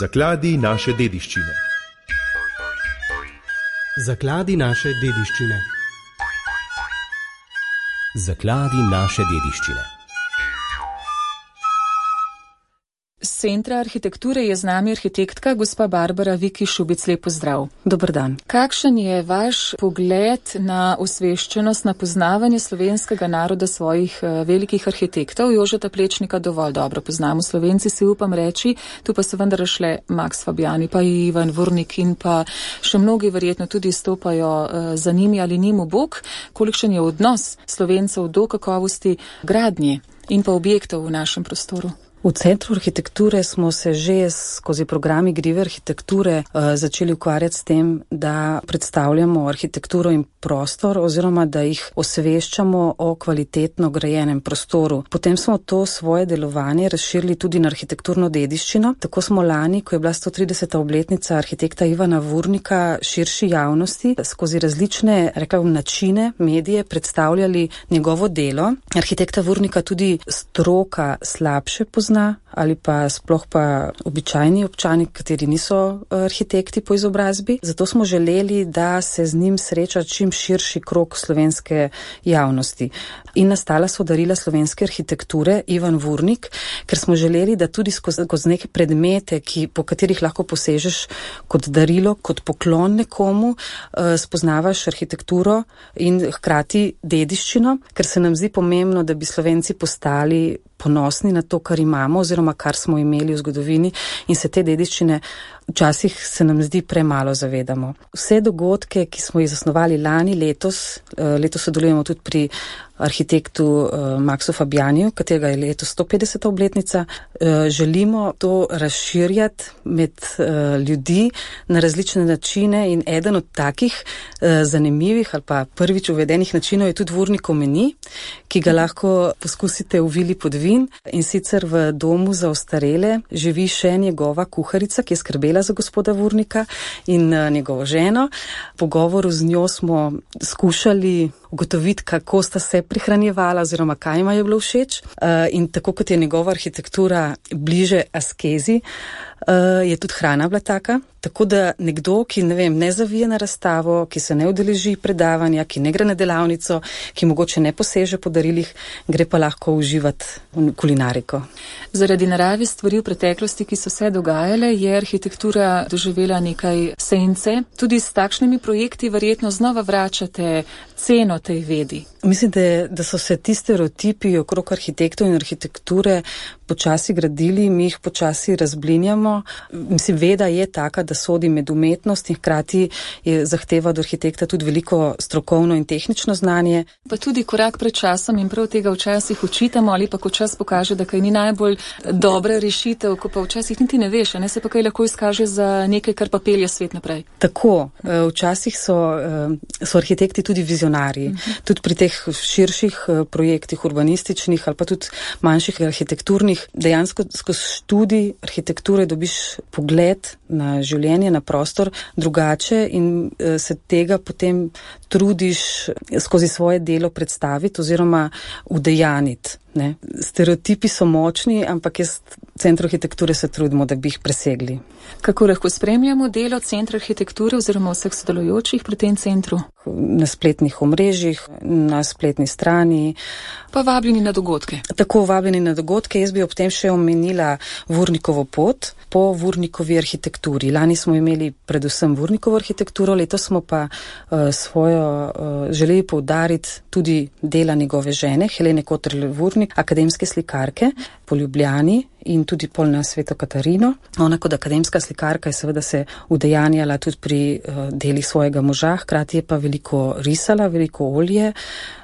Zakladi naše dediščine. Zakladi naše dediščine. Zakladi naše dediščine. Z Centra arhitekture je z nami arhitektka gospa Barbara Viki Šubic. Lep pozdrav. Dober dan. Kakšen je vaš pogled na osveščenost, na poznavanje slovenskega naroda svojih velikih arhitektov? Jožeta Plečnika dovolj dobro poznamo Slovenci, si upam reči, tu pa so vendar šle Max Fabiani, pa Ivan Vurnik in pa še mnogi verjetno tudi stopajo za njimi ali njim v bok. Kolikšen je odnos Slovencev do kakovosti gradnje in pa objektov v našem prostoru? V Centru arhitekture smo se že skozi program Igrive arhitekture začeli ukvarjati s tem, da predstavljamo arhitekturo in prostor oziroma da jih osveščamo o kvalitetno grajenem prostoru. Potem smo to svoje delovanje razširili tudi na arhitekturno dediščino. Tako smo lani, ko je bila 130. obletnica arhitekta Ivana Vurnika, širši javnosti skozi različne, načine, medije predstavljali njegovo delo. Arhitekta Vurnika tudi stroka slabše pozna ali pa sploh pa običajni občani, kateri niso arhitekti po izobrazbi. Zato smo želeli, da se z njim sreča čim širši krog slovenske javnosti. In nastala so darila slovenske arhitekture Ivan Vurnik, ker smo želeli, da tudi skozi neke predmete, po katerih lahko posežeš kot darilo, kot poklon nekomu, spoznavaš arhitekturo in hkrati dediščino, ker se nam zdi pomembno, da bi Slovenci postali ponosni na to, kar imamo oziroma kar smo imeli v zgodovini in se te dediščine včasih se nam zdi premalo zavedamo. Vse dogodke, ki smo jih zasnovali lani, letos sodelujemo tudi pri arhitektu Maxu Fabianiju, katerega je letos 150. obletnica, želimo to razširjati med ljudi na različne načine in eden od takih zanimivih ali pa prvič uvedenih načinov je tudi Vurnikov meni, ki ga lahko poskusite v Vili Podvin, in sicer v domu za ostarele živi še njegova kuharica, ki je skrbela za gospoda Vurnika in njegovo ženo. V pogovoru z njo smo skušali ugotoviti, kako sta se prihranjevala oziroma kaj ima je bilo všeč. In tako kot je njegova arhitektura bliže askezi, je tudi hrana bila taka. Tako da nekdo, ki ne zavije na razstavo, ki se ne udeleži predavanja, ki ne gre na delavnico, ki mogoče ne poseže po darilih, gre pa lahko uživati v kulinariko. Zaradi narave stvari v preteklosti, ki so se dogajale, je arhitektura doživela nekaj sence. Tudi s takšnimi projekti verjetno znova vračate ceno tej vedi. Mislim, da so se ti stereotipi okrog arhitektov in arhitekture počasi gradili, mi jih počasi razblinjamo. Mislim, veda je taka, da sodi med umetnost in hkrati je zahteva od arhitekta tudi veliko strokovno in tehnično znanje. Pa tudi korak pred časom in prav tega včasih učitamo, ali pa ko čas pokaže, da kaj ni najbolj dobra rešitev, ko pa včasih niti ne veš, se pa kaj lahko izkaže za nekaj, kar pa pelje svet naprej. Tako, včasih so arhitekti tudi vizionarji. Tudi pri teh širših projektih, urbanističnih ali pa tudi manjših arhitekturnih, dejansko skozi študij arhitekture dobiš pogled na življenje, na prostor drugače in se tega potem trudiš skozi svoje delo predstaviti oziroma udejaniti. Stereotipi so močni, ampak v Centru arhitekture se trudimo, da bi jih presegli. Kako lahko spremljamo delo Centra arhitekture oziroma vseh sodelujočih pri tem centru? Na spletnih omrežjih, na spletni strani. Pa vabljeni na dogodke. Tako, vabljeni na dogodke. Jaz bi ob tem še omenila Vurnikovo pot po Vurnikovi arhitekturi. Lani smo imeli predvsem Vurnikovo arhitekturo, letos smo pa želeli poudariti tudi dela njegove žene, Helene Kotrle Vurnik, akademske slikarke po Ljubljani in tudi pol na Sveto Katarino. Ona kot akademska slikarka je seveda se udejanjala tudi pri delih svojega moža, hkrati je pa veliko risala, veliko olje,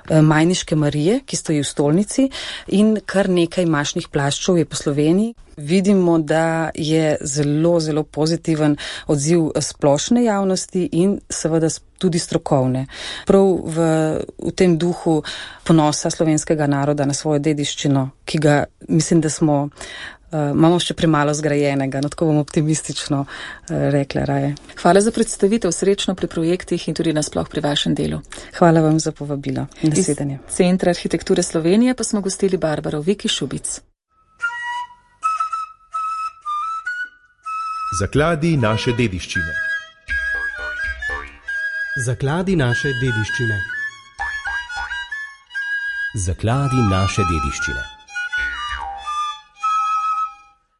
Majniške Marije, ki stoji v stolnici, in kar nekaj mašnih plaščov je po Sloveniji. Vidimo, da je zelo, zelo pozitiven odziv splošne javnosti in seveda tudi strokovne. Prav v tem duhu ponosa slovenskega naroda na svojo dediščino, ki ga mislim, da imamo še premalo zgrajenega, tako bom optimistično rekla raje. Hvala za predstavitev, srečno pri projektih in tudi nasploh pri vašem delu. Hvala vam za povabilo. Nasvidenje. Iz Centra arhitekture Slovenije pa smo gostili Barbaro Viki Šubic. Zakladi naše dediščine. Zakladi naše dediščine. Zakladi naše dediščine.